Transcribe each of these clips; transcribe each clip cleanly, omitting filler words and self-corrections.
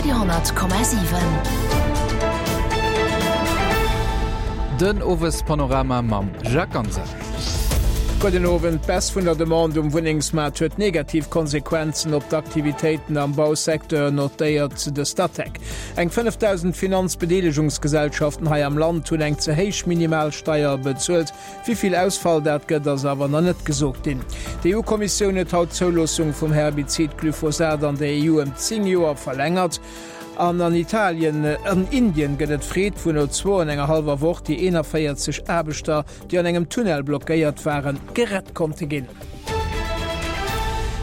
Radio,7. Den Owespanorama mam Jacques Ganser. Gudden Owend. D'Baisse vun der Demande um Wunnengsmaart huet negativ Konsequenzen op d'Aktivitéiten am Bausecteur, notéiert de Statec. Eng 5.000 Finanzbedeelegungsgesellschaften hei am Land hunn eng ze héich Minimalsteier bezuelt. Wéi vill Ausfall dat gëtt, ass awer nach net gesot ginn. D'EU-Kommissioun huet haut d'Zouloossung vum Herbizid Glyphosat an der EU ëm 10 Joer verlängert. An an Italien, an Indien gëtt et Freed, wou no zwou an enger hallwer Woch déi 41 Aarbechter, déi an engem Tunnel blockéiert waren, gerett konnte ginn.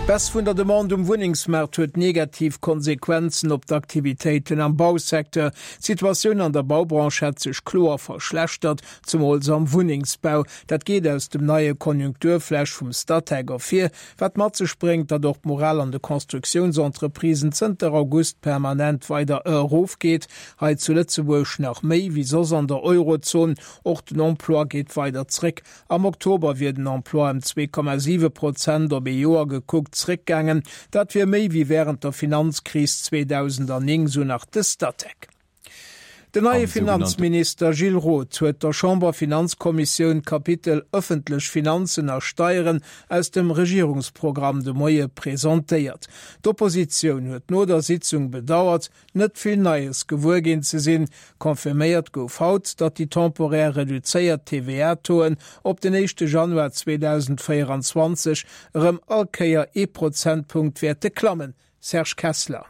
D'Baisse vun der Demande um Wunnengsmaart huet negativ Konsequenzen op d'Aktivitéiten am Bausecteur. D'Situatioun an der Baubranche hätt sech kloer verschlechtert, Zemools am Wunnengsbau. Dat geet aus dem neie Konjunkturflash vum Statec ervir, wat mat sech bréngt, datt och d'Moral an de Constructiounsentreprisen zënter August permanent weider erofgeet. Hei zu Lëtzebuerg nach méi wéi soss an der Eurozon. Och den Emploi geet weider zréck. Am Oktober wier den Emploi ëm 2,7 Prozent op ee Joer gekuckt zréckgaangen. Dat wier méi wéi wärend der Finanzkris 2009, sou nach de Statec. Den neie Finanzminister Gilles Roth huet der Chamber-Finanzkommissioun d'Kapitel Ëffentlech Finanzen a Steieren aus dem Regierungsprogramm de Moie presentéiert. D'Oppositioun huet no der Sitzung bedauert, net vill Neies gewuer ginn ze sinn. Confirméiert gouf haut, datt déi temporär reduzéiert TVA-Tauxen op den éischte Januar 2024 erëm all Kéier ee Prozentpunkt wäerte klammen. Serge Kessler.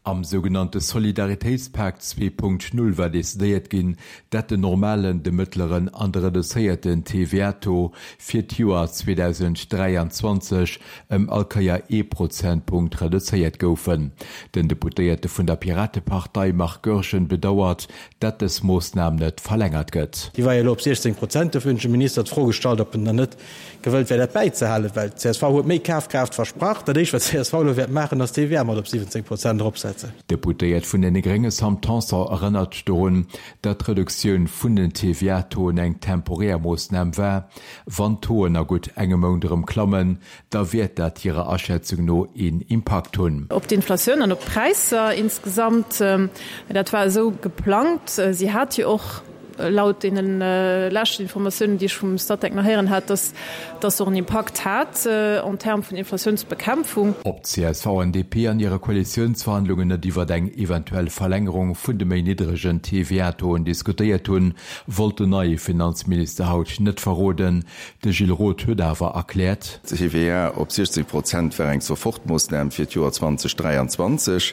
Am sougenannte Solidaritéitspak 2.0 war decidéiert ginn, dat den normalen, de mëttleren an de reduzéierten TVA-Taux fir d'Joer 2023 ëm all Kéier ee Prozentpunkt reduzéiert goufen. Den Deputéierte vun der Piratepartei Marc Goergen bedauert, dat dës Moossnam net verlängert gëtt. Déi war jo elo op 16 Prozent. Dofir hunn ech dem Minister d'Fro gestallt, ob en dann net gewëllt wär, dat bäizehalen, well csv huet méi Kafkraaft versprach. Dat Éischt, wat csv elo wäert maachen, ass d'TVA mat op 17 Prozent eropsetzen. D'Deputéiert vun deene Grénge Sam Tanson erënnert dorun, datt d'Reduktioun vun den TVA-Tauxen eng temporär Moossnam war. Wann d'Tauxen a gutt engem Mount erëm klammen, da wäert dat hirer Aschätzung no een Impakt hunn. Op d'Inflatioun an op d'Präisser insgesamt. Dat war esou geplangt. Si hat jo och laut deene leschten Informatiounen, déi ech vum Statec nach héieren hat, dass dass och en Impakt hat en termes vun Inflatiounsbekämpfung. Ob csv an DP an hire Koalitiounsverhandlungen net iwwert eng eventuell Verlängerung vun de méi niddregen TVA-Tauxen diskutéiert hunn, wollt den neie Finanzminister haut net verroden. De Gilles Roth huet awer erkläert. D'TVA op 16 Prozent war eng Sofortmoossnam fir d'Joer 2023.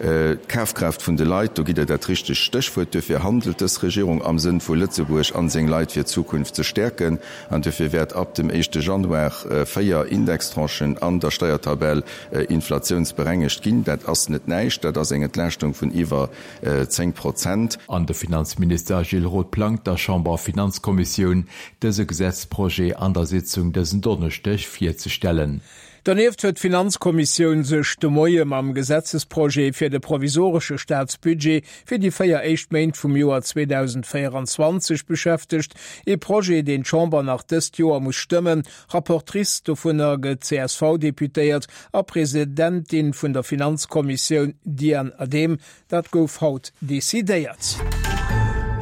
D'Kafkraaft vun de Leit, do gitt Der dat richtegt Stéchwuert. Duerfir handelt dës Regierung am Sënn vu Lëtzebuerg an seng Leit fir d'Zukunft ze stäerken. An duerfir wäert ab dem éischte Januar 4 Indextranchen an der Steiertabell inflatiounsberengegt ginn. Dat ass net näischt, dat ass eng Entlaaschtung vun iwwer 10 Prozent. An de Finanzminister Gilles Roth plangt der Chamber-Finanzkommissioun dëse Gesetzprojet an der Sitzung dësen Donneschdeg virzestellen. Donieft huet d'Finanzkommissioun sech de Moie mam Gesetzesprojet fir de provisoresche Staatsbudget fir déi 4 éischt Méint vum Joer 2024 beschäftegt, ee Projet, deen d'Chamber nach dëst Joer muss stëmmen. Rapportrice dovunner gëtt d'CSV-Deputéiert a Presidentin vun der Finanzkommissioun Diane Adehm. Dat gouf haut decidéiert.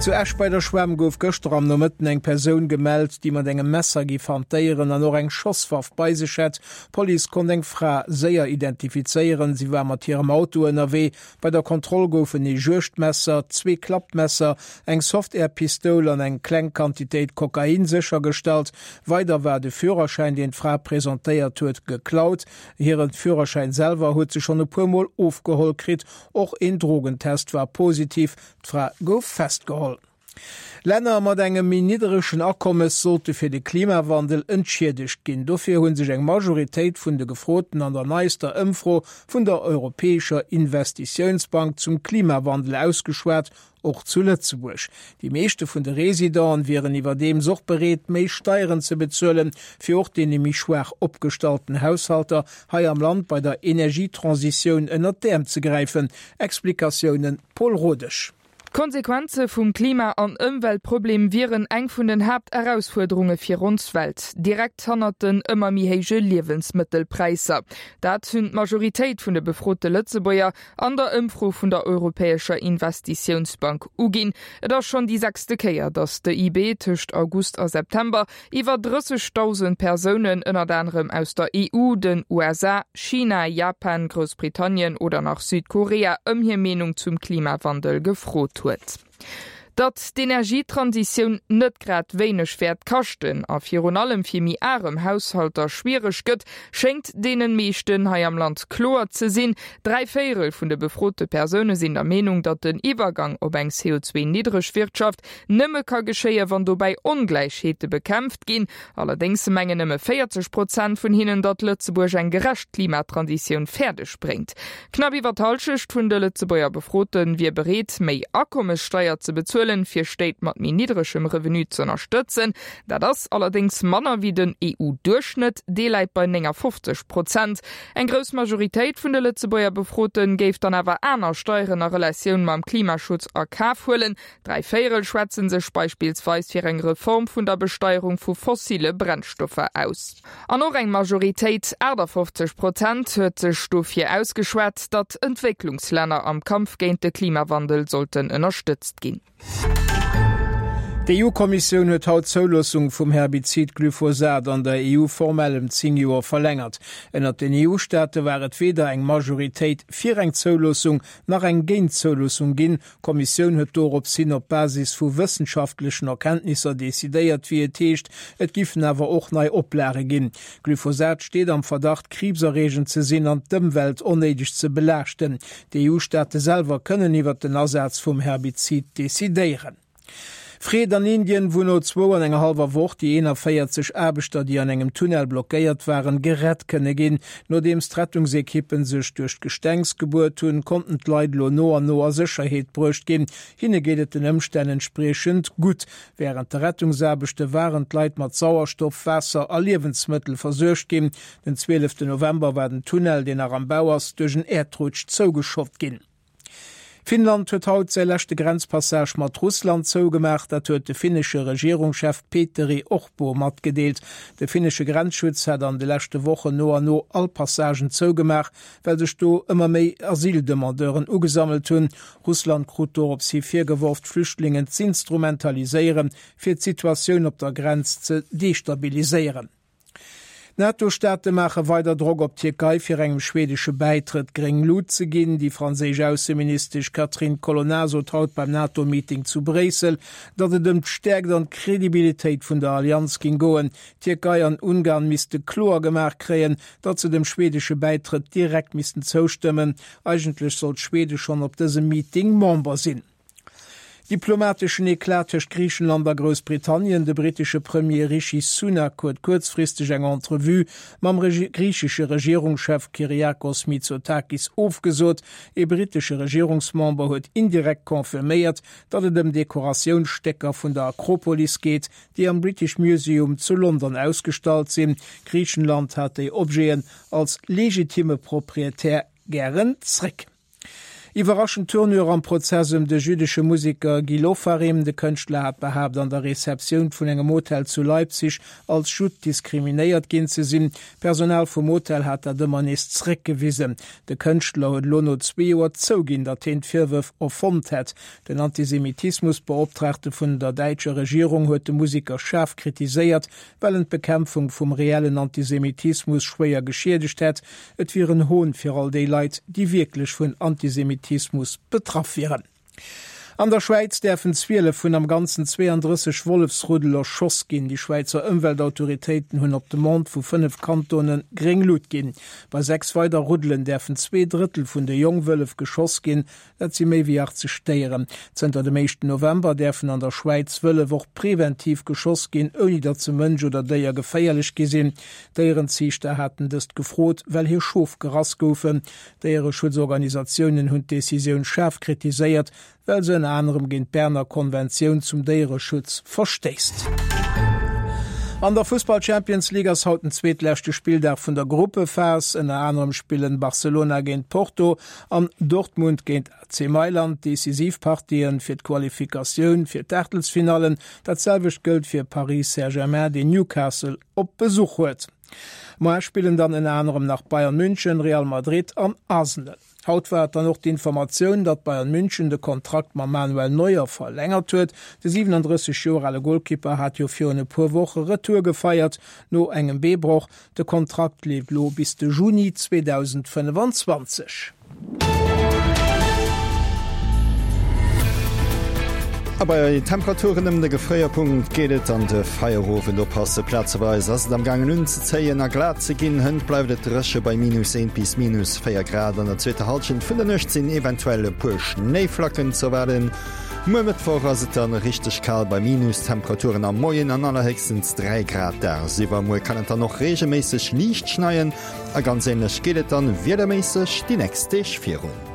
Zu Esch bei der Schwämm gouf gëschter am Nomëtten eng Persoun gemellt, déi mat engem Messer giff hantéieren an och eng Schosswaff bei sech hätt. D'Police konnt eng Fra séier identifizéieren. Si war mat hirem Auto ënnerwee. Bei der Kontroll goufen ee Juegdmesser, zwee Klappmesser, eng Softair-Pistoul an eng kleng Quantitéit Kokain séchergestallt. Weider war de Führerschäin, deen d'Fra presentéiert huet, geklaut. Hire Führerschäin selwer huet se schonn e puer Mol ofgeholl kritt. Och een Drogentest war positiv. D'Fra gouf festgeholl. Länner mat engem méi nidderegen Akommes sollte fir de Klimawandel entschiedegt ginn. Dofir hu sech eng Majoritéit vun de Gefroten an der neister Ëmfro vun der Europäescher Investitiounsbank zum Klimawandel ausgeschwat Och zu Lëtzebuerg. Déi meeschte vun de Residenten wieren iwwerdeems och bereet, méi Steieren ze bezuelen, fir och deene méi schwaach opgestallten Haushalter hei am Land bei der Energietransitioun ënnert d'Äerm ze gräifen. Explikatiounen Paul Rodesch. D'Konsequenze vum Klima an Ëmweltproblem wieren eng vun den Haapterausfuerderunge fir ons Welt, direkt hannert den ëmmer méi héije Liewensmëttelpräisser. Dat hunn d'Majoritéit vun de befrote Lëtzebuerger an der Ëmfro vun der Europäescher Investitiounsbank uginn. Et ass schonn déi sechste Kéier, datt d'EIB tëscht August a September Iwwer 30.000 Persounen, ënnert anerem aus der EU, den USA, China, Japan, Groussbritannien oder nach Südkorea, ëm hir Meenung zum Klimawandel gefrot huet. Datt d'Energietransitioun net grad wéineg wäert kaschten a virun allem fir méi arem Haushalter schwiereg gëtt, schéngt deenen meeschten hei am Land kloer ze sinn. Dräivéierel vun de befrote Persoune sinn der Meenung, datt den Iwwergang op eng CO2-niddreg Wirtschaft nëmme ka geschéien, wann dobäi Ongläichheete bekämpft ginn. Allerdéngs mengen nëmme 40 Prozent vun hinnen, datt Lëtzebuerg eng gerecht Klimatransitioun fäerdeg bréngt. Knapp iwwer d'Hallschecht vun de Lëtzebuerger Befrote wier bereet, méi Akommessteier ze bezuelen, fir Stéit mat méi niddregem Revenu z'ënnerstëtzen. Dat ass allerdéngs manner wéi den EU-Duerchschnëtt, dee läit bei 59 Prozent. Eng grouss Majoritéit vun de Lëtzebuerger Befrote géif dann awer aner Steieren a Relatioun mam Klimaschutz a Kaf huelen. Dräivéierel schwätze sech beispillsweis fir eng Reform vun der Besteierung vu fossile Brennstoffer aus. An och eng Majoritéit, 58 Prozent, huet sech dofir ausgeschwat, datt Entwécklungslänner am Kampf géint de Klimawandel sollten ënnerstëtzt ginn. D'EU-Kommissioun huet haut d'Zouloossung vum Herbizid Glyphosat an der EU formell ëm 10 Joer verlängert. Ënnert den EU-Staate war et weder eng Majoritéit fir eng Zouloossung nach eng géint d'Zouloossung ginn. D'Kommissioun huet dorops hin op Basis vu wëssenschaftlechen Erkenntnisser decidéiert, wéi et heescht. Et giffen awer och nei Oplage ginn. Glyphosat steet am Verdacht, kriibserreegend ze sinn an d'Ëmwelt onnéideg ze belaaschten. D'EU-Staate selwer kënnen iwwer den Asaz vum Herbizid decidéieren. Freed an Indien, wou no zwou an enger hallwer Woch déi 41 Aarbechter, déi an engem Tunnel blockéiert waren, gerett kënne ginn. Nodeems d'Rettungsekippen sech duerch d'Gestengs gebuert hunn, konnten d'Leit elo no an no a Sécherheet bruecht ginn. Hinne geet et den Ëmstänn entspriechend gutt. Wärend de Rettungsaarbechte waren d'Leit mat Sauerstoff, Waasser a Liewensmëttel versuergt ginn. Den 12 November war den Tunnel, deen nach am Bau ass, duerch en Äerdrutsch zougeschott ginn. Finnland huet haut säi leschte Grenzpassage mat Russland zougemaach. Dat huet de finnesche Regierungschef Petteri Orpo matgedeelt. De finnesche Grenzschutz hat an de leschte Wochen no an no all Passagen zougemaach, well sech do ëmmer méi Asyldemandeuren ugesammelt hunn. Russland krut dorops hi virgeworf, d'Flüchtlingen z'instrumentaliséieren, fir d'Situatioun op der Grenz ze destabiliséieren. D'NATO-Staate maache weider Drock op d'Tierkei, fir engem schwedesche Bäitrëtt gréng Lut ze ginn. Déi franséisch Ausseministesch Catherine Colonna sot haut beim NATO-Meeting zu Bréissel, datt et ëm d'Stäerkt an d'Credibilitéit vun der Allianz géing goen. D'Tierkei an Ungarn misste kloer gemaach kréien, datt se dem schwedesche Bäitrëtt direkt missten zoustëmmen. Eigentlech sollt Schwede schonn op dësem Meeting Member sinn. Diplomateschen Eclat tëscht Griichenland a Groussbritannien, De brittesche Premier Rishi Sunak huet kuerzfristeg eng Entrevue mam griichesche Regierungschef Kyriakos Mitsotakis ofgesot. Ee brittesche Regierungsmember huet indirekt confirméiert, datt et ëm Dekoratiounsstécker vun der Akropolis geet, déi am British Museum zu London ausgestallt sinn. Griichenland hat déi Objeten als legitimme Proprietär gären zréck. Iwwerraschend Tournure am Prozess ëm de jüddesche Museker Gil Ofarim. De Kënschtler hat behaapt, an der Receptioun vun engem Hotel zu Leipzig als Judd diskriminéiert ginn ze sinn. D'Personal vum Hotel hat dat ëmmer nees zeréckgewisen. De Kënschtler huet elo no zwee Joer zouginn, datt hien d'Virwërf erfonnt hätt. Den Antisemitismusbeoptraagte vun der däitscher Regierung huet de Museker schaarf kritiséiert, well en d'Bekämpfung vum reellen Antisemitismus schwéier geschiedegt hätt. Et wier en Hohn fir all déi Leit, déi wierklech vun Antisemitismus betraff wieren. An der Schwäiz däerfen 12 vun am Ganzen 32 Wollefsruddel erschoss ginn. Déi Schwäizer Ëmweltautoritéiten hunn op Demande vu 5 Kantone gréng Lut ginn. Bei 6 weider Ruddelen däerfen Zweedrëttel vun de Jongwëllef geschoss ginn. Dat si méi wéi 80 Déieren. Zënter dem éischten November däerfen an der Schwäiz Wëllef och preventiv geschoss ginn, ouni datt se Mënsch oder Déier geféierlech gi sinn. Déierenziichter haten dëst gefrot, well hir Schof gerass goufen. Déiereschutzorganisatiounen hunn d'Decisioun schaarf kritiséiert, well se ënner anerem géint d'Berner Konventioun zum Déiereschutz verstéisst. An der Fussball-Champions League ass haut den zweetleschte Spilldag vun der Gruppephas. Ënner anerem spillen Barcelona géint Porto an Dortmund géint AC Mailand decisiv Partien fir d'Qualifikatioun fir d'Aachtelsfinallen. Dat selwecht gëllt fir Paris Saint-Germain, deen Newcastle op Besuch huet. Moar spillen dann ënner anerem nach Bayern München, Real Madrid an Arsenal. Haut war et dann och d'Informatioun, datt Bayern München de Kontrakt mam Manuel Neuer verlängert huet. De 37 Joer ale Golkipper hat jo virun e puer Woche Retour gefeiert no engem Beebroch. De Kontrakt leeft elo bis de Juni 2025. A bei Temperaturen ëm de Gefréierpunkt geet et an de Feierowend. Oppasse, plazeweis ass et am gaangen unzezéien a glat ze ginn. Hënt bleift et dréche bei minus 1 bis minus 4 Grad. An der zweeter Hallschent vun der Nuecht sinn eventuell e puer Schnéiflacken z'erwaarden. Muer Mëttwoch ass et dann richteg kal bei Minustemperaturen am Moien an allerhéchstens 3 Grad dagsiwwer. Muer kann et dann och reegelméisseg liicht schneien a ganz änlech geet et dann wiederméisseg déi nächst Deeg virun.